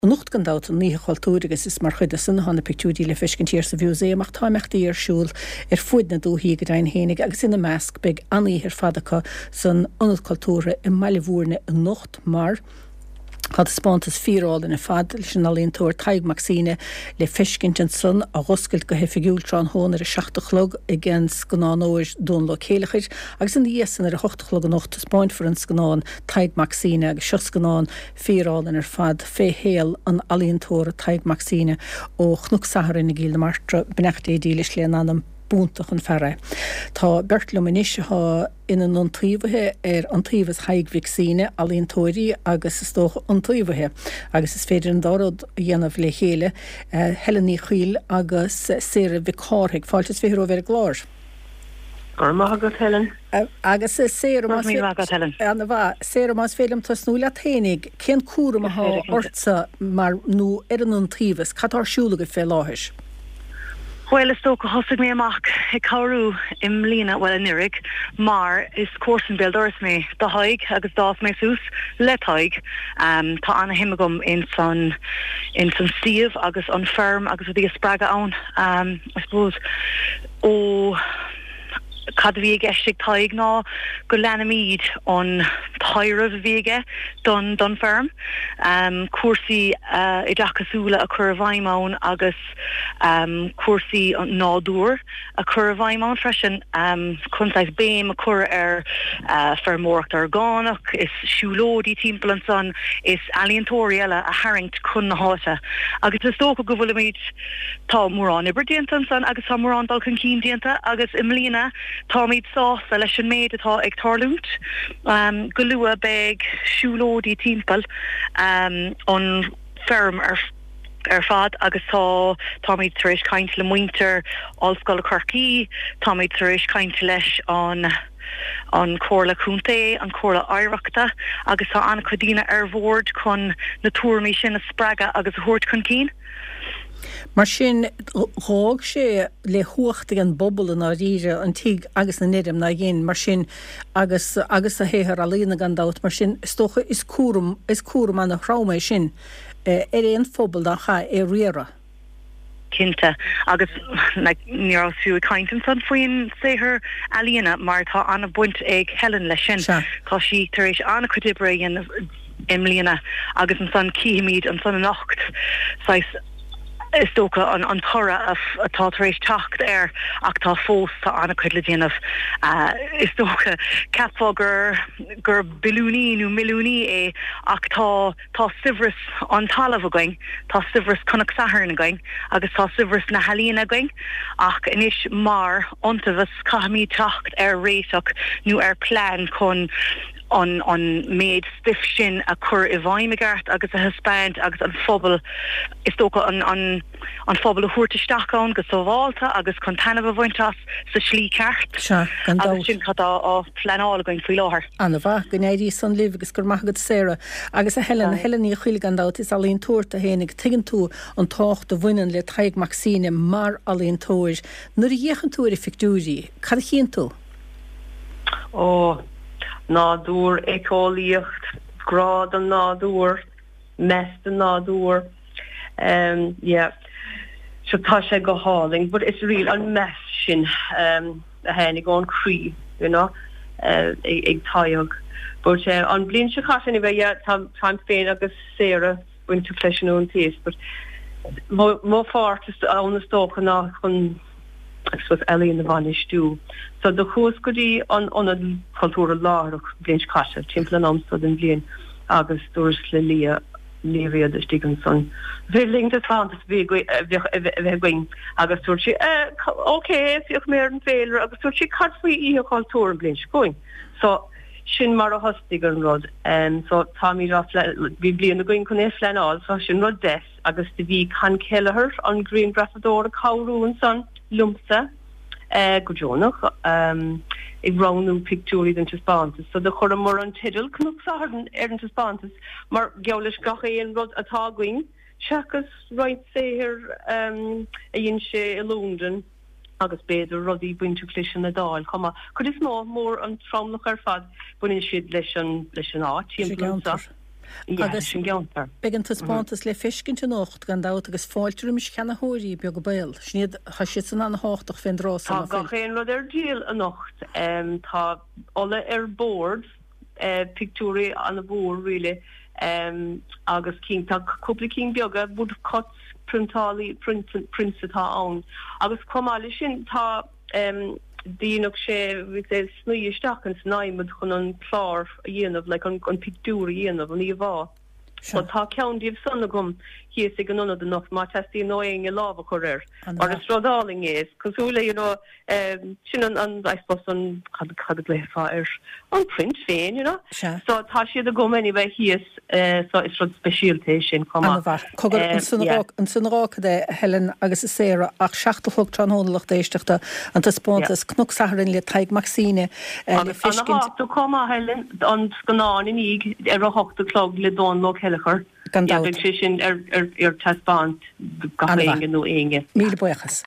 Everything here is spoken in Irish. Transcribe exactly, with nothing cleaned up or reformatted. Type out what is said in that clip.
Anocht gan dabht an Oíche Chultúir agus is mar chuid de san atá na pictiúirí le feiscint thiar sa Mhúsaem ach tá imeachtaí ar siúl ar fuaid na dúthaí go deimhin fhéinig agus ina measc beidh an-oíche ar fad acu san Ionad Cultúrtha i mBaile Bhúirne anocht mar Tá taispeántas fíorálainn ar fad leis an ealaíontóir Tadhg Mac Suibhne le feiscint ansan á dh'oscailt go hoifigiúil tráthnóna ar a seacht a chlog ag an scannánóir Dónal Ó Céileachair agus ina dhiaidh san ar a hocht a chlog anocht taispeáinfear an scannán Tadhg Mac Suibhne agus seo scannán fíorálainn ar fad fé shaol an ealaíontóra Tadhg Mac Suibhne ó Chnoc Sathairn i gCill na Martra, beannacht Dé dílis lena anam. B'iontach an fear é. Tá beirt liom anois atá ina n-iontaobhaithe ar Iontaobhas Thaidhg Mhic Suibhne, ealaíontóirí agus is dócha iontaobhaithe, agus is féidir an dá rud a dhéanamh le chéile, Helen Ní Chuill agus Sarah Mhic Cárthaigh. Fáilte is fiche romhaibh ar an gclár. Go raibh maith agat, Helen. Agus Sarah, Go raibh míle maith agat, Helen. Ana-mhaith. Sarah, más féidir liom tosnú leat fhéinig, cén cúram atá ortsa mar, nó ar an Iontaobhas? Cad tá ar siúl agaibh fé láthair? Bhuel, is dócha, thosaigh mé amach ag cabhrú i mbliana, bhuel, anuraidh, mar is comharsan béal dorais mé do Thadhg agus d'fhás mé suas le Tadhg. Tá ana-shuim agam ins an, ins an suíomh agus an feirm agus rudaí a spreagadh ann. I suppose, ó, cad a bhí i gceist ag Tadhg ná go leanfaimid an taidhreamh a bhí aige don, don feirm, cúrsaí oideachasúla a chur i bhfeidhm ann agus, cúrsaí an nádúir a chur i bhfeidhm ann freisin chun saghas béim a chur ar feirmeoireacht orgánach is siúlóidí timpeall ansan is ealaíontóirí eile a tharraingt chun na háite agus is dócha go bhfuilimid, tá mórán oibre déanta ansan agus tá mórán dul chun cinn déanta agus i mbliana táimid sásta leis an méid atá ag tarlúint. Go luath beidh siúlóidí timpeall an feirm ar ar fad agus tá, táimid tar éis caint le muintir Ollscoile Chorcaí, táimid tar éis caint leis an an Chomhairle Contae, an Chomhairle Oidhreachta agus tá an-chuid daoine ar bhord chun na tuairimí sin a spreagadh agus a thabhairt chun cinn. Mar sin, dh'fhág sé le huacht ag an bpobal i ndáiríre, an tigh agus an fheirm, nár dhein, mar sin, agus agus a shaothar ealaíona gan dabht, mar sin, is dócha, is cúram, is cúram ana-throm é sin. ar aon phobal dá chaithfidh é a riaradh. Cinnte, agus like ní rabhas fiú ag caint ansan faoin saothar ealaíona mar tá an-bhaint ag Helen leis sin. Sea. Tá sí tar éis an-chuid oibre a dhéanamh i mbliana agus ansan cífimid ansan anocht saghas is dócha an an toradh atá tar éis teacht air ach tá fós tá an-chuid le déanamh. Is dócha cheapfá gur gur billiúnaí nó milliúnaí é ach tá Tá saibhreas an talaimh againn, tá saibhreas Chnoc Sathairn againn agus tá saibhreas na healaíona againn ach anois mar iontaobhas caithfimid teacht ar réiteach nó ar plean chun an an méid stuif sin a chur i bhfeidhm i gceart agus a thaispeáint agus an phobal is dócha an an an phobal a thabhairt isteach ann go sábhálta agus chun taitneamh a bhaint as sa slí ceart. Sea, gan Agus dabht. sin cad tá á phleanáil againn faoi láthair. Ana-mhaith, go n-éirí san libh agus go raibh maith agat Sarah. Agus a Helen, a Helen Ní Chuill gan dabht, is ealaíontóir tú fhéinig, tuigeann tú an tábhacht a bhaineann le Tadhg Mac Suibhne mar ealaíontóir. Nuair a fhéachann tú ar a phictiúirí, cad a chíonn tú? Ó, nádúr, éiceolaíocht, grá don nádúr. meas don nádúr um yeah so tá sé go hálainn but it's real an meas sin um a tháinig ón chroí you know uh, ag Tadhg but uh, an bliain seo caite anyway yeah tá táim féin agus Sarah bainteach leis an iontaobhas but mo mo pháirt is ann is dócha ná chun I suppose ealaíon a bhainistiú. So do chuas go dtí an Ionad Cultúrtha láithreach bliain seo caite, timpeall an am so den bhliain agus dúras le Liadh, Liadh Riada istigh ansan, féidir linn taispeántas a bhí a bheadh a bheith againn agus dúirt sí eh ok féachfaidh mé ar an bhféilire agus dúirt sí cad faoi Oíche Chultúir an bhliain seo chugainn? So sin mar a thosnaigh an rud. So táimid á bhí bliain againn chun é a phleanáil so sin rud deas. Agus do bhí Con Kelleher, an grianghrafadóir, ag cabhrú ansan liomsa go deonach ag roghnú pictiúirí don taispeántas. So do chuireamar an teideal Cnoc Sathairn ar an taispeántas mar gheall leis gach aon rud atá againn seachas roinnt saothair a dhein sé i Londain agus b'fhéidir rudaí bainteach leis an Iodáil chomh maith. Cuid is mó, mór an tromlach ar fad, baineann siad leis an leis an áit Leis an timpeall anso. gceantar. Agus an gceantar. Beidh an taispeántas le feiscint anocht gan dabht agus fáilte roimis ceannaitheoirí beaga béil. Sin iad, tá siad san an-tábhachtach fén dtráth Tá gach aon rud ar díol anocht. Tá ola ar bord, pictiúirí an-mhór really, agus cinn, tá cúpla cinn beaga, woodcuts, priontálaí, prints atá ann. Agus chomh maith leis sin tá déanadh sé snoí isteach ins an adhmad chun an clár a dhéanamh, like an pictiúr a dhéanamh, an íomhá. So tá ceann díobh san agam thíos ag an ionad anocht má teastaíonn ó éinne lámh a chur air. Mar is rud álainn é, is cosúil le you know sin an an I suppose an cad cad a ghlaofá air an print féin you know. Sea. So tá siad agam anyway thíos so is rud speisialta é sin chomh maith. An-mhaith. Cogar, ansan a ansan a dh'fhágfad é, a Helen agus a Sarah, ach seacht a chlog tráthnóna lucht éisteachta, an taispeántas Cnoc Sathairn le Tadhg Mac Suibhne le Agus feiscint. ana-thábhachtach chomh maith Helen, an scannán i ndiaidh ar a hocht a chlog le Dónal Ó Céilleachair. Gan Yeah, dabht. beidh sé sin ar ar ar taispeáint do gach An-mhaith. éinne nó éinne. Míle buíochas.